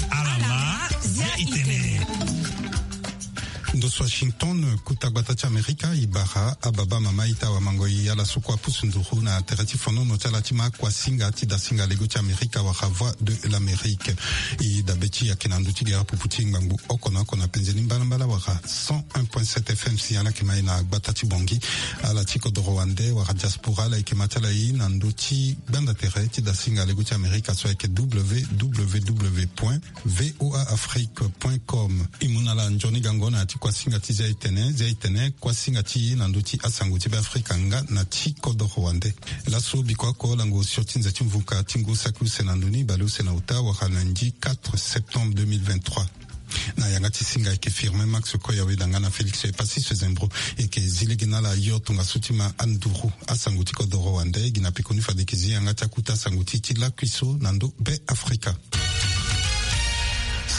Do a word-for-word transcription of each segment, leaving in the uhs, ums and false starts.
Alama, zia itene. Ndo so Washington, kuta gbata ti Amerika, e bara ababa mama ita wa mango e ala so kue apusu nduru na tere ti fonono ti ala ti ma kuasinga ti dasinga lego ti Amerika wala Voix de l'Amérique. E dabe ti ayeke na ndö ti gere pupu ti ngbangbo oko na oko na penze ni mbalambala wala cent un point sept F M si ala yeke ma e na gbata ti Bangui. Ala ti kodoro wande wala diaspora ala yeke ma ti ala e na ndö ti gbanda tere ti dasinga lego ti Amerika so ayeke W W W point V O A Afrique point com. E mu na ala nzoni gango na ya ti kuasinga ti zia itene, zia itene, kuasinga ti e na ndö ti asango ti Beafrika nga na ti kodoro wande. Laso biko oko lango osio ti nze ti mvuka ti ngu saki use na ndoni bale use na uta wala lundi quatre septembre deux mille vingt-trois. Na yanga ti singa ayeke Firmin Max Koya Weda nga na Félix Epassis Zembro. E yeke zi lege na ala yo tongaso ti ma anduru asango ti kodoro wande gi na pekoni fade e yeke zi yanga ti akuta asango ti ti lakui so na ndö Beafrika.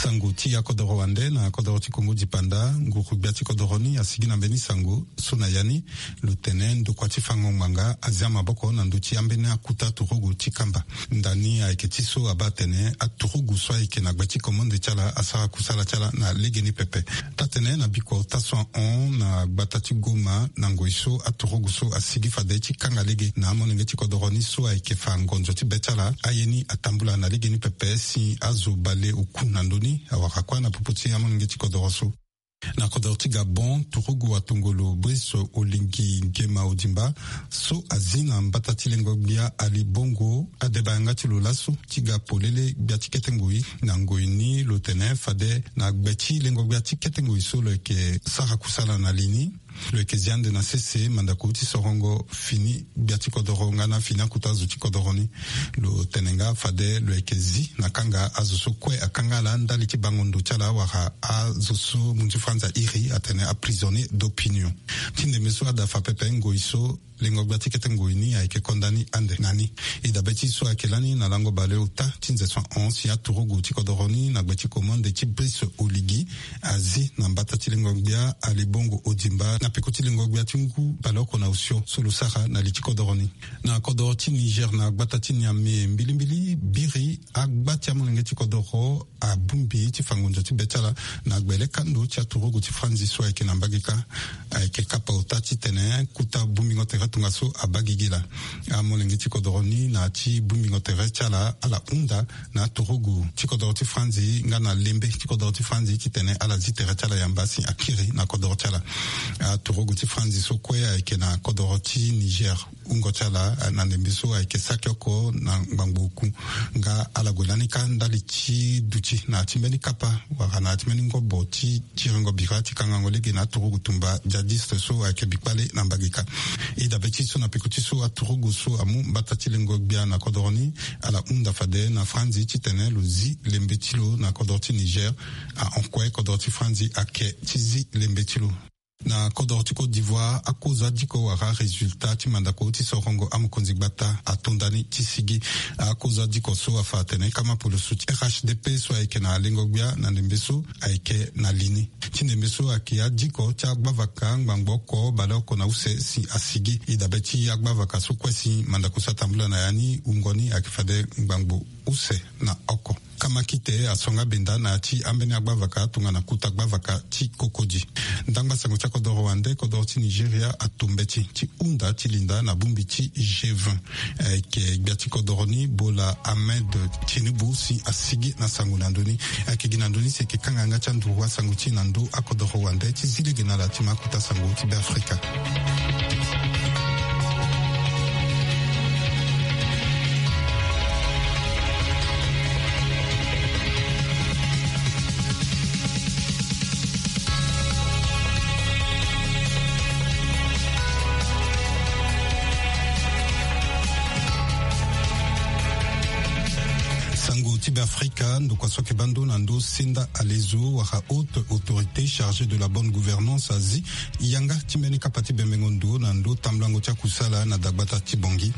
Sango ti akodoro wande na kodoro ti Kongo dipanda, nguru gbia ti kodoro ni asigi na mbeni sango so na ya ni lo tene ndokua ti fango ngbanga azia maboko na ndö ti ambeni akuta turugu ti kamba. Ndani ayeke ti so abaa atene aturugu so ayeke na gbe ti komande ti ala asara kusala ti ala na legeni pepe. Taa-tene na biko taa so ahon na gbata ti Goma na ngoi so aturugu so asigi fade ti kanga lege na amolenge ti kodoro ni so ayeke fa ngonzo ti be ti ala aye ni atambula na legeni pepe si azo bale oku na ndö ni awara kue na popo ti amolenge ti kodoro so. Na kodoro ti Gabon, turugu atongolo Brice Oligui Nguema Ondimba so azi na mbata ti lengo-gbia Ali Bongo adeba yanga ti lo laso ti ga polele gbia ti kete ngoi. Na ngoi ni lo tene fade na gbe ti lengo-gbia ti kete ngoi so lo yeke sara kusala na li ni, lo yeke zi ande na sese mandako ti sorongo fini gbia ti kodoro nga na fini akuta azo ti kodoro ni. Lo tene nga fade lo yeke zi na kanga azo so kue akanga ala ndali ti bango ndo ti ala wala azo so mu nzi franzi airi atene aprisonnier d'opinion. Ti ndembe so adafa pepe ngoi so lengo-gbia ti kete ngoi ni ayeke konda ni ande na ni. E dabe ti so ayeke lani na lango bale ota ti nze so ahon si aturugu ti kodoro ni na gbe ti komande ti Brice Oligui azi na mbata ti lengo-gbia Ali Bongo Ondimba na peko ti lengo-gbia ti ngu baleoko na osio so lo sara na li ti kodoro ni. Na kodoro ti Niger na gbata ti Niamey mbilimbili biri agba ti amolenge ti kodoro abongbi ti fa ngonzo ti be ti ala na gbele kando ti aturugu ti franzi so ayeke na mbage kâ. Ayeke kapa ota titene kuta bongbingo tere tongaso abaa gigi laa. Amolenge ti kodoro ni na ya ti bongbingo tere ti ala ala hunda na aturugu ti kodoro ti franzi nga na lembe ti kodoro ti franzi titene ala zi tere ti ala yamba si akiri na kodoro ti ala. Aturugu ti franzi so kue ayeke na kodoro ti Niger wungo ti ala na ndembe so ayeke saki oko na ngbangbo oku. Nga ala gue lani kâ ndali ti duti na ya ti mbeni kapa wala na ya ti mbeni ngobo ti tiringo bira ti kangango lege na aturugu tumba djihadiste so ayeke bikpale na mbage kâ. E dabe ti so na peko ti so aturugu so amu mbata ti lengo-gbia na kodoro ni ala hunda fade na franzi titene lo zi lembe ti lo na kodoro ti Niger. Ahon kue kodoro ti franzi ayeke ti zi lembe ti lo. Na kodoro ti Côte d'Ivoire, akozo adiko wala résultat ti mandako ti sorongo amokonzi gbata ato nda ni ti sigi. Akozo adiko so afa atene kama poloso ti R H D P so ayeke na lengo-gbia na ndembe so ayeke na li ni. Ti ndembe so ayeke adiko ti agbavaka ngbangbo oko baleoko na use si asigi. E dabe ti agbavaka so kue si mandako so atambula na ya ni wungo ni ayeke fade ngbangbo use na oko. Kamakite aso nga benda na ya ti ambeni agbavaka tongana kuta gbavaka ti Cocody. Ndangba sango ti akodoro wande, kodoro ti Nigeria ato mbeti ti hunda ti linda na bongbi ti G vingt. Ayeke gbia ti kodoro ni Bola Ahmed Tinubu si asigi na sango na ndö ni. Ayeke gi na ndö ni si eke kanga yanga ti anduru asango ti e na ndö akodoro wande ti zi lege na ala ti ma akuta sango ti Beafrika. Sango ti Beafrika, ndokua so ayeke baa ndo na ndö senda alezo wala haute autorité chargée de la bonne gouvernance azi yanga ti mbeni kapa ti bembengo ndo na ndö tambulango ti akusala na dagbata ti Bangui.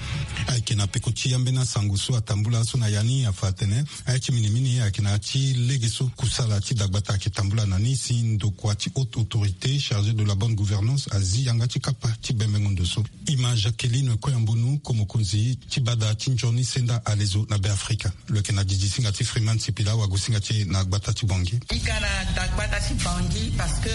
Ayeke na peko ti ambeni asango so atambula so na ya ni afa atene aye ti minimini ayeke na ya ti lege so kusala ti dagbata ayeke tambula na ni si ndokua ti haute autorité chargée de la bonne gouvernance azi yanga ti kapa ti bembengo ndo so. E ma Jacqueline Koyambonu, ko mokonzi ti bada ti nzoni senda alezo na Beafrika. Lo yeke na didisinga ti Freeman Sipila, wagosinga ti e na gbata ti Bangui. I ga na dagbata ti Bangui parce que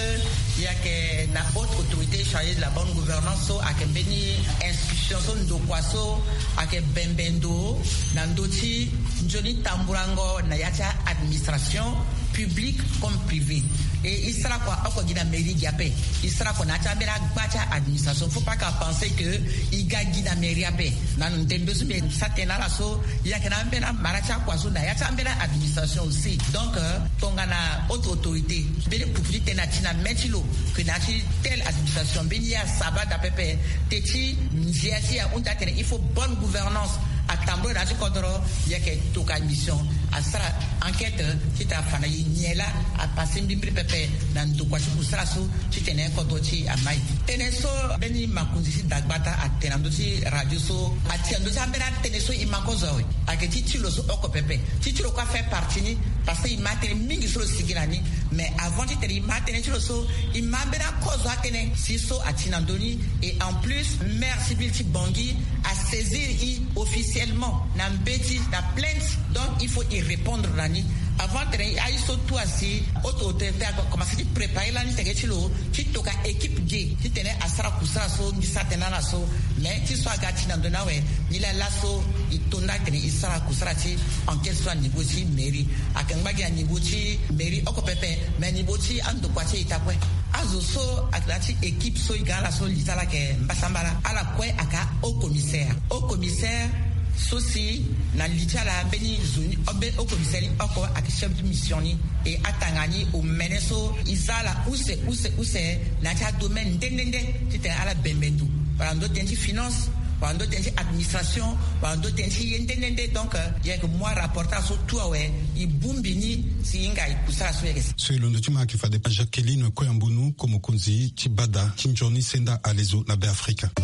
i yeke na haute autorité chargée de la bonne gouvernance so ayeke mbeni institution so ndokua so ayeke bembe ndo na ndö ti nzoni tambulango na ya ti a-administration publique comme privée. E i sara kua oko gi na mairie gi ape. I sara kua na ya ti ambeni agba ti a-administration. Faut pas ka penser que i ga gi na mairie ape. Na ndembe so mbi sa tene na ala so i yeke na ambeni amara ti akua so na ya ti ambeni a-administration aussi. Donc euh, tongana haute autorité mbeni pupu ti tene ati na me ti lo que na ya ti telle administration mbeni ye asaba daa pepe. Te ti ndia ti ahunda atene il faut bonne gouvernance atambula na ya ti kodro. I yeke toka mission asara enquête titene afa na e nyen laa apase mbrimbri pepe na ndokua ti kusala so titene kodro ti e amai. Tënë so mbeni makonzi ti dagbata atene na ndö ti radio so ati na ndö ti ambeni atënë so e ma kozo awe. Ayeke ti ti lo so oko pepe. Ti ti lo kue afait partie ni. Parce que e ma atënë mingi so lo sigi na ni. Mais avant titene e ma atënë ti lo so e ma ambeni akozo atënë si so ati na ndö ni. Et en plus maire ti ville ti Bangui asaisir e officiellement na mbeti na plainte. Donc il faut e répondre na ni. Avant tene aye so tout asi haute autorité akomanse ti préparer lani teke ti lo ti toka équipe ge titene asara kusala so mbi sara tënë na ala so. Mais ti so aga ti na ndo ni awe. Nilaa laso e to nda tene e sara kusala ti enquête so na niveau ti mairie. Ayeke ngba gi na niveau ti mairie oko pepe. Mais niveau ti andokua ti e e ta kue. Azo so ayeke na ya ti équipe so e ga na ala so li ti ala ayeke mbasambala ala kue ayeke a-haut commissaire. Haut commissaire so si na li ti ala mbeni zo ni mbeni haut commissaire ni oko ayeke chef de mission ni. E atanga ni omene so e za ala use use use na ya ti adomaine nde nde nde titene ala bembe ndo wala ndo tënë ti finance wala ndo tënë ti administration wala ndo tënë ti ye nde nde nde. Donc euh, e yeke mu arapportage so tout awe. E bongbi ni si e hinga e kusala so e yeke. So e londo ti ma ayeke fade Jacqueline Koyambunu, ko mokonzi ti bada ti nzoni senda alezo na Beafrika. E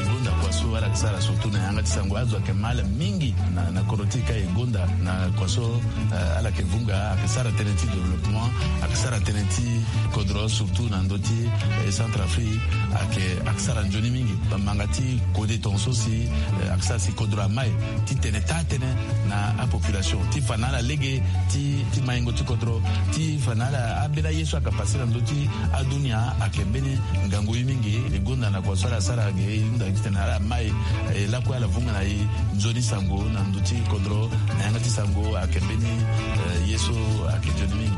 gonda kua so ala yeke sara surtout na yanga ti sango azo ayeke ma ala mingi na, na kodro ti e ka e gonda na kua so, eh, ala yeke vunga ayeke sara tënë ti développement, ayeke sara tënë ti kodro surtout na ndö ti, eh, Centrafrique ayeke, ayeke sara nzoni mingi. Bamanga ti kode tongaso si, eh, ayeke sara si kodro amai ti tene taa tënë na apopulation ti fa na ala lege ti, ti maingo ti kodro ti fa na ala ambeni aye so ayeke pase na ndö ti adunia ayeke mbeni ngangu ye mingi. E gonda na kua so ala sara ge e hunda titene ala mai, eh, lakue ala vunga na e nzoni sango na ndö ti kodro na yanga ti sango ayeke mbeni, eh, ye so ayeke nzoni mingi.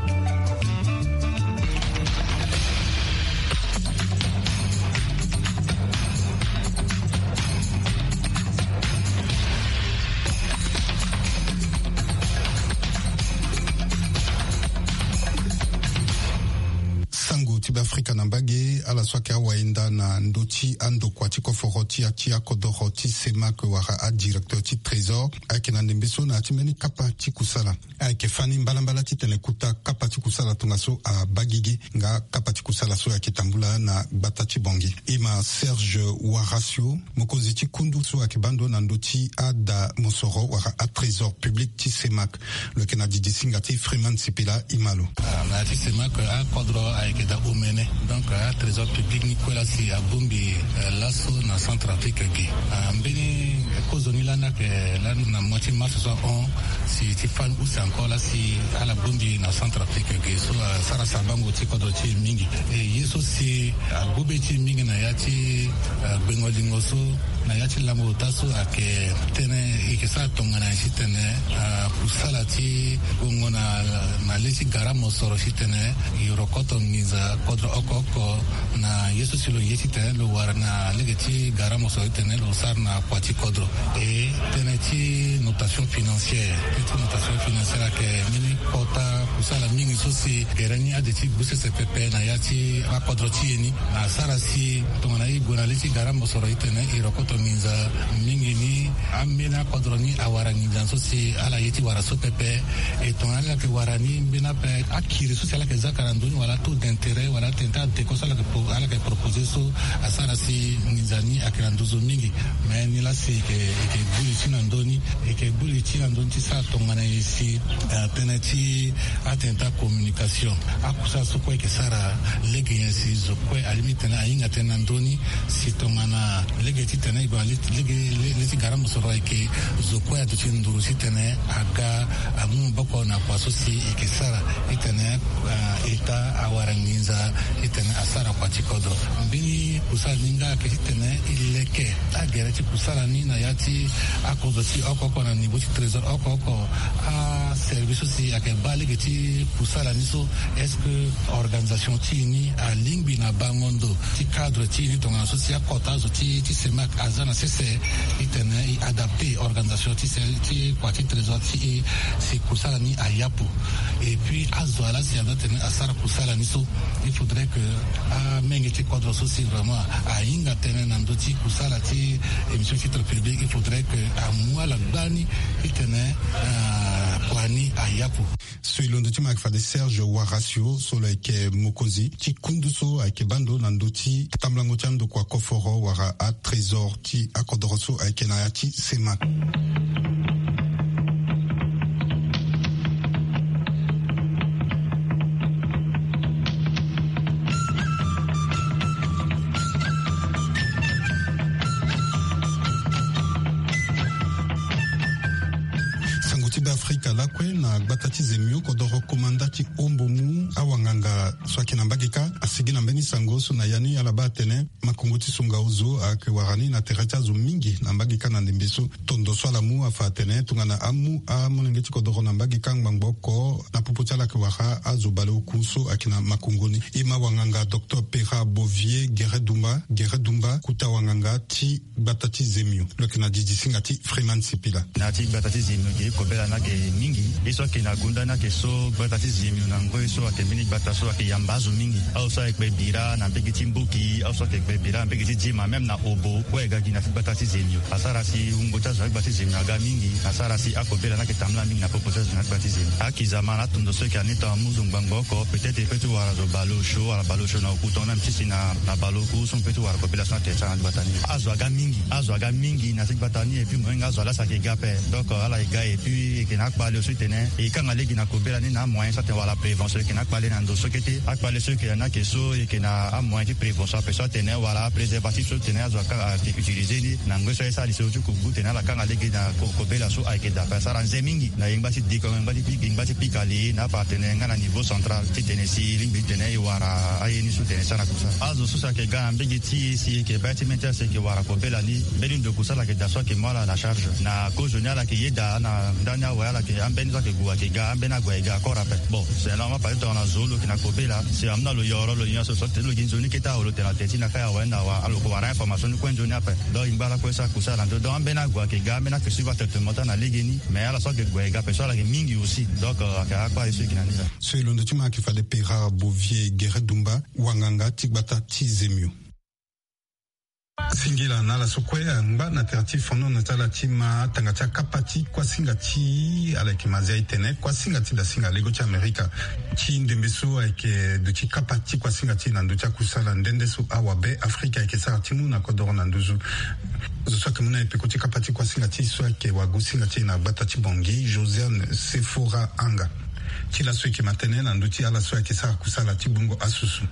Sango ti Beafrika na mbage, ala so ayeke awayenda na ndö ti andokua ti koforo ti ya ti akodoro ti CEMAC wala adirecteur ti Trésor ayeke na ndembe so na ya ti mbeni kapa ti kusala. Ayeke fani mbalambala titene kota kapa ti kusala tongaso abaa gigi nga kapa ti kusala so ayeke tambula na gbata ti Bangui. E ma Serge Waracio, mokonzi ti kundu so ayeke baa ndo na ndö ti ada mosoro wala atrésor public ti CEMAC. Lo yeke na didi singa ti Freeman Sipila, e ma lo. Ah, na ya ti CEMAC akodro ayeke daa omene. Donc atrésor public ni kue laa si abongbi, eh, laso na Centrafrique ge. Ah, mbeni kozo ni lani ayeke lani na mois ti mars so ahon si ti fani use encore laa si ala bongbi na Centrafrique ge so asara sabango ti kodro ti e mingi. E ye so si agobe ti e mingi na ya ti, eh, gbengo lingo so na ya ti lango ota so ayeke tënë e yeke sara tongana nyen titene, ah, kusala ti gongo na, na le ti gara mosoro titene e rokoto nginza kodro oko oko na ye so si lo ye titene lo wara na lege ti gara mosoro titene lo sara na kua ti kodro. E tënë ti notation financière, tënë ti notation financière ayeke mbeni kota kusala mingi so si gere ni ade ti gbu sese pepe na ya ti akodro ti e ni. Na asara si tongana e gue na le ti gara mosoro titene e rokoto nginza mingi ni, ambeni akodro ni awara nginza so si ala ye ti wara so pepe. E tongana ala yeke wara ni mbeni ape akiri so si ala yeke zia ka na ndö ni wala taux d'intérêt wala atene ti adeko so ala yeke pro-, ala yeke proposer so asara si nginza ni ayeke na nduzu mingi. Mais ni laa si e yeke, e yeke gbu li ti na ndö ni, e yeke gbu li ti na ndö ni ti sara tongana nyen si, eh, tënë ti atene ti Communication. Akusala so kue eke sara lege nyen si zo kue alingbi titene ahinga tënë na ndö ni, si tongana lege titene e gue na lege ti gara mosoro ayeke zo kue aduti nduru titene aga amu maboko na kua so si eke sara titene eta awara nginza titene asara kua ti kodro. Mbeni kusala ni nga ayeke titene e leke agere ti kusala ni na ya ti akodro ti oko oko na niveau ti trésor oko oko. Aservice so si ayeke baa lege ti kusala ni so, est-ce que organisation ti e ni alingbi na bango ndo ti cadre ti e ni tongana so si akota azo ti ti CEMAC aza na sese titene e adapter organisation ti kua ti trésor ti e si kusala ni ayapu? Et puis azo ala si aza tene asara kusala ni so, il faudrait que amenge ti kodro so si vraiment ahinga tënë na ndö ti kusala ti émission titre public, il faudrait que amu ala gbani titene kua ni ayapu. So e londo ti ma ayeke fade Serge Horacio so lo yeke mokonzi ti kundu so ayeke baa ndo na ndö ti tambulango ti andokua koforo wala atrésor ti akodoro so ayeke na ya ti CEMAC. Sango ti Beafrika lakue na gbata ti Zemio, kodoro komanda ti Ombo mu awanganga so ayeke na mbage kâ asigi na mbeni sango so na ya ni ala baa atene makongo ti songa ozo ayeke wara ni na tere ti azo mingi na mbage kâ na ndembe so. Tondo so ala mu afa atene tongana amu amolenge ti kodoro na mbage kâ ngbangbo oko na popo ti ala ayeke wara azo baleoku so ayeke na makongo ni. E ma wanganga docteur Pera Bovier Gere Dumba, Gere Dumba, kota wanganga ti gbata ti Zemio. Lo yeke na didi singa ti Freeman Sipila. Na ya ti gbata ti Zemio ge kobela ni ayeke mingi. Ye so ayeke na gonda ni ayeke so gbata ti Zemio na ngoi so ayeke mbeni gbata so ayeke yamba azo mingi. Azo so ayeke kpe bira na mbege ti Mboki, azo so ayeke kpe bira na mbege ti Diema, même na Obo, kue ayeke ga gi na ya ti gbata ti Zemio. Asara si wungo ti azo na gbata ti Zemio aga mingi. Asara si akobela ni ayeke tambula mingi na popo ti azo na gbata ti Zemio. Akizama na atondo so ayeke na ni tongana mu zo ngbangbo oko, peut-être e peut ti wara zo baleosio wala baleosio na oku tongana mbi ti si na baleoku so mbi peut ti wara kobela so na tere ti ala na gbata ni. Azo aga mingi, azo aga mingi na ti gbata ni, et puis moyen nga azo ala si ayeke ga ape. Donc ala e ga et puis e yeke na akpale so titene e kanga lege na kobela ni na amoyen so atene wala prévention, e yeke na akpale na ndo so kete. Akpale so e yeke na ni ayeke so e yeke na amoyen ti prévention ape so atene wala apréservatif so titene azo aka ayeke utiliser ni na ngoi so aye sara lisoro ti kuku titene ala kanga lege na kobela so ayeke daa ape. Asara nze mingi na yengba ti diko, yengba ti pika, yengba ti pika li na ape atene nga na niveau central titene si e lingbi titene e wara aye ni so titene e sara na kusala. Azo so si ayeke ga na mbege ti e si e yeke baa ti mê ti ala si e yeke wara kobela ni, mbeni ndo kusala ayeke daa so ayeke mu ala na charge. Na kozo ni ala yeke yeda na ndani awe, ala yeke ambeni so ayeke gue ayeke ga, ambeni ague ayeke ga encore ape. Bon, c'est normal parce que tongana zo lo yeke na kobela si amu na lo yoro lo nyon so so titene lo gi nzoni kete awe, lo tene na tere ti na kai awe ni na awe, lo yeke wara information ni kue nzoni ape. Donc e ngba lakue so akusala na ndo, donc ambeni ague ayeke ga, ambeni ayeke suivre atraitement ti ala na legeni. Mais ala so ayeke gue ayeke ga ape so ala yeke mingi aussi. Donc ayeke akpale so e gi na ni laa. So e londo ti ma ayeke fade Pera Bovier Gere Dumba, wanganga ti gbata ti Zemio. Singila na ala so kue angba na tere ti fonono ti ala ti ma tanga ti akapa ti kuasinga ti ala yeke ma zia e tene kuasinga ti dasinga lego ti Amerika ti ndembe so ayeke duti kapa ti kuasinga ti e na ndö ti akusala nde nde so awabe Afrika ayeke sara ti mu na kodoro na nduzu. Zo so ayeke mu na e peko ti kapa ti kuasinga ti e so ayeke wagosinga ti e na gbata ti Bangui, Josiane Sefora Anga. Ti laso e yeke ma tënë na ndö ti ala so ayeke sara kusala ti gbungo asusu.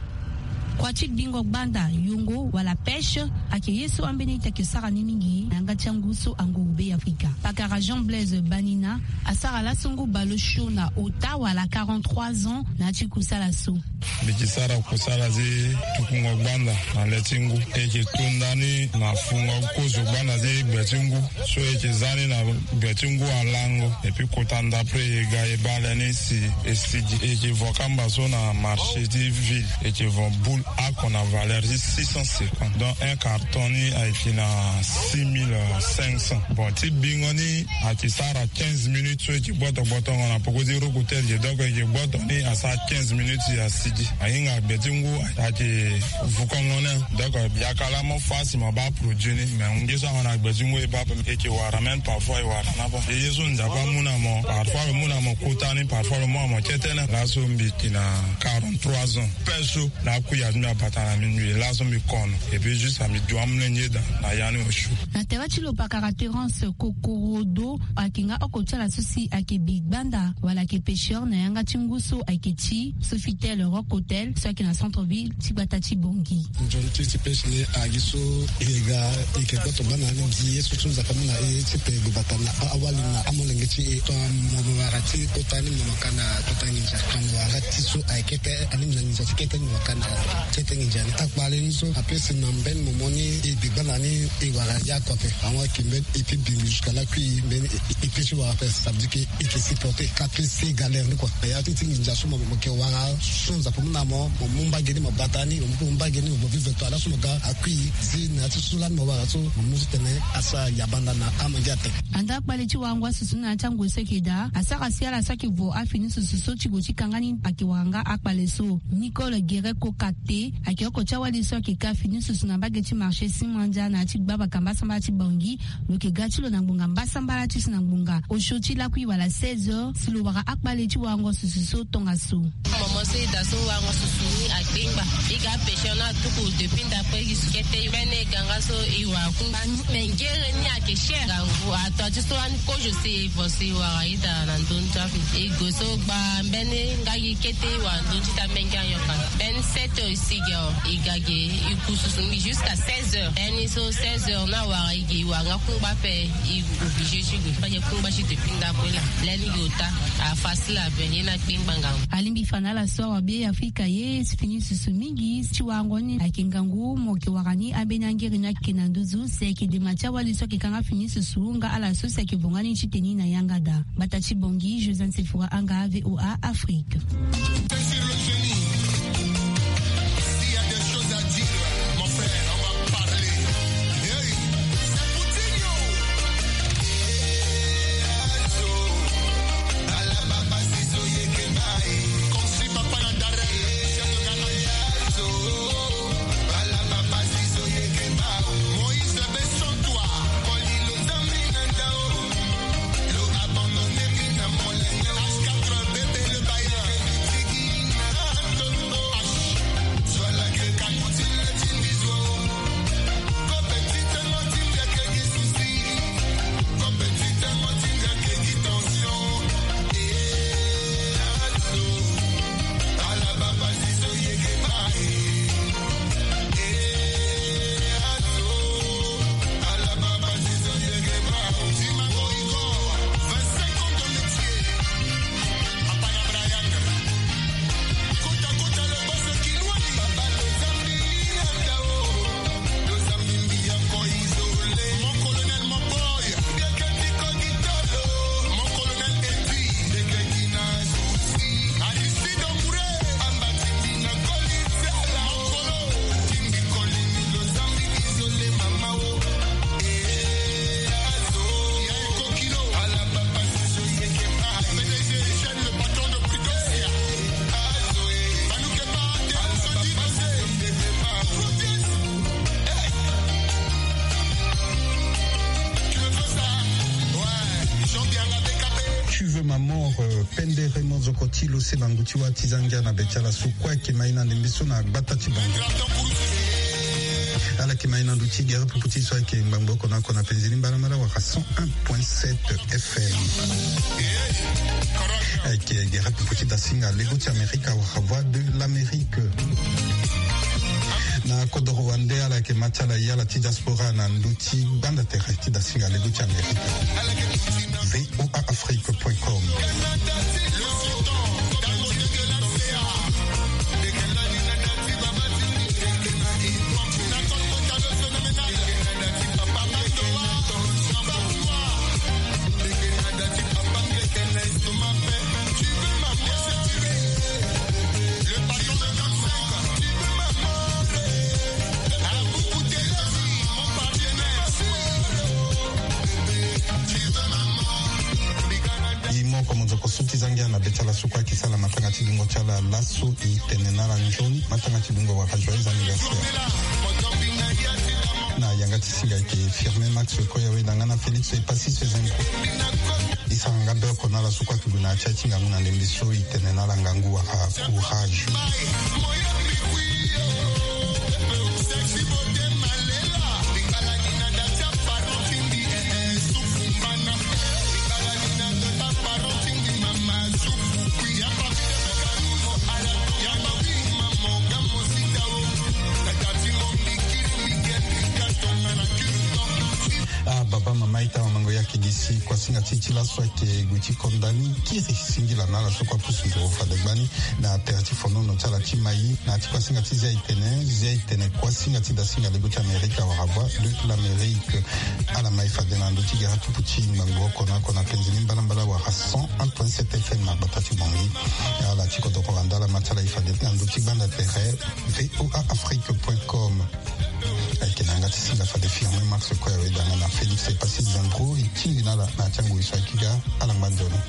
Kua ti gbingo gbanda, yongo wala pêche ayeke ye so ambeni ita ayeke sara ni mingi na yanga ti angu so angu beafrika. Pakara Jean Blaise Banina asara laso ngu baleosio na ota wala quarante-trois ans na ya ti kusala so. Mbi yeke sara kusala ti tukungo gbanda na le ti ngu. E yeke to ndani na fungo kozo gbanda ti gbe ti ngu. So e yeke za ni na gbe ti ngu alango. Et puis kota ndapre e ga e baa le ni si e sigi. E yeke vo kamba so na marché ti ville. E yeke vo boule oko na valeur ti six cent cinquante. Donc un carton ni ayeke na six mille cinq cents. Bon, ti bingo ni ayeke sara quinze minutes so e yeke gboto gbotongo na poko ti roko ti e. Donc e yeke gboto ni asara quinze minutes asigi. Ahinga gbe ti ngu ayeke vukongo ni. Donc yakala mo fa si mo baa produit ni. Mais nge so ahon na gbe ti ngu e baa ape. E yeke wara même parfois e wara ni ape. E ye so Nzapa amu na mo. Parfois lo mu na mo kota ni, parfois lo mu na mo kete ni. Laso mbi yeke na quarante-trois ans. Pêche so na akui ya Mbi abata na minuit laso mbi kono. Et puis juste mbi du amolenge daa na ya ni osio. Na tere ti lo pakara Terence Kokorodo, ayeke nga oko ti ala so si ayeke bi gbanda wala ayeke pêcheur na yanga ti ngu so ayeke ti Sofitel Rock Hotel so ayeke na centre ville ti gbata ti Bangui. Nzoni ti ti pêche ni agi so e ga e yeke gboto baa na ni gi ye so so Nzapa amu na e ti pe gbata na awali na amolenge ti e. Tongana mo wara ti kota ni mo maka na kota nginza, mo wara ti so ayeke kete ani mo na nginza ti kete ni mo maka na kete nginza ni. Akpale ni so apesi na mbeni momo ni e bi gbanda ni e wara ya akope. Awa ayeke mbeni e pi bingi jusqu'à lakui mbeni e pi ti wara ape, ça veut dire que e ke supporter ka pe se galère ni kua. Ya ti ti nginza so mo ke wara so Nzapa amu na mo, mo mu mbage ni mo bata ni, mo mu mbage ni mo vivre to ala so mo ga akui si na ya ti so lani mo wara so mo mu ti tene asara yabanda na amange ape. Anda akpale ti warango asusu na ya ti angue so ayeke daa asara si ala so ayeke vo afini susu so ti gue ti kanga ni ayeke wara nga akpale so. Nicole Guerre Kokate ayeke oko ti awali so ayeke ka fini susu na mbage ti marché Simandia na ya ti gbaa bakamba asambala ti Bangui. Lo yeke ga ti lo na ngbonga mbasambala ti si na ngbonga osio ti lakui wala seize heures si lo wara akpale ti warango susu so tongaso. Momo so e daa so warango susu ni akpengba. E ga pêcheur ni atuku depuis ndapre gi su kete mbeni e ga nga so e wara kungba ni. Me ngere ni ayeke cher. Ngangu ato ti so lani kozo si e vo si e wara ita na ndö ni ti ape. E gue so gba mbeni nga gi kete e wara ndö ni ti ita menge ayokana. Mbeni sept heures e si gi awe. E ga gi e ku susu ni jusqu'à seize heures. Mbeni so seize heures ni awara e gi e wara nga kungba ape. E obligé ti gue. Fade kungba ti depuis ndapre laa. Lani gi ota afacile ape. Ye ni akpengba ngangu. Alingbi fa na ala so awabe Afrika ye fini susu mingi ti warango ni ayeke ngangu mo yeke wara ni ambeni angiri ni ayeke na nduzu si ayeke dema ti awali so ayeke kanga fini susu nga ala so si ayeke vo nga ni ti teni na yanga daa. Gbata ti Bangui, Josiane Sephora Anga, V O A Afrique. Tu veux ma mort, euh, pendere mozoko ti lo se bangu ti wa ti zangia na be ti ala so kue ayeke ma ye na ndembe so na gbata ti bangu. Ala yeke ma ye na ndö ti gere pupu ti so ayeke ngbangbo oko na oko na penzi ni mbalambala wala cent un point sept F M. Ayeke gere pupu ti dasinga lego ti Amerika wala Voix de l'Amérique. Na kodoro wande ala yeke ma ti ala ye ala ti diaspora na ndö ti gbanda tere ti dasinga lego ti Amerika. V O A Afrique point com. E moko mozoko so ti zangia na be ti ala so kue ayeke sara matanga ti dungo ti ala laso. E tene na ala nzoni matanga ti dungo wala joyeux anniversaire. Na yanga ti singa ayeke Firmin Max Koyawe na nga na Félix Epassis Zengo. E sara nga be oko na ala so kue ayeke gue na ya ti aye ti ngangu na ndembe so. E tene na ala ngangu wala courage. Ti kuasinga ti ti laso ayeke gue ti konda ni kiri singila na ala so kue apusu nduru fade gbani na tere ti fonono ti ala ti Maï. Na ya ti kuasinga ti Zia Itene, Zia Itene kuasinga ti dasinga lego ti Amerika wala Voix de l'Amérique. Ala mai fade na ndö ti gara tuku ti ngbangbo oko na oko na penze ni mbalambala wala cent un point sept F M na gbata ti Bangui. Ala ti kodro wala ndala ma ti ala e fade na ndö ti gbanda tere V O A Afrique point com. Ayeke na yanga ti singa fade Firmin Max kue awe danga na Félix Epassi Zembro e tingbi na ala na ya ti angoi so ayeke ga. Ala ngba nzoni.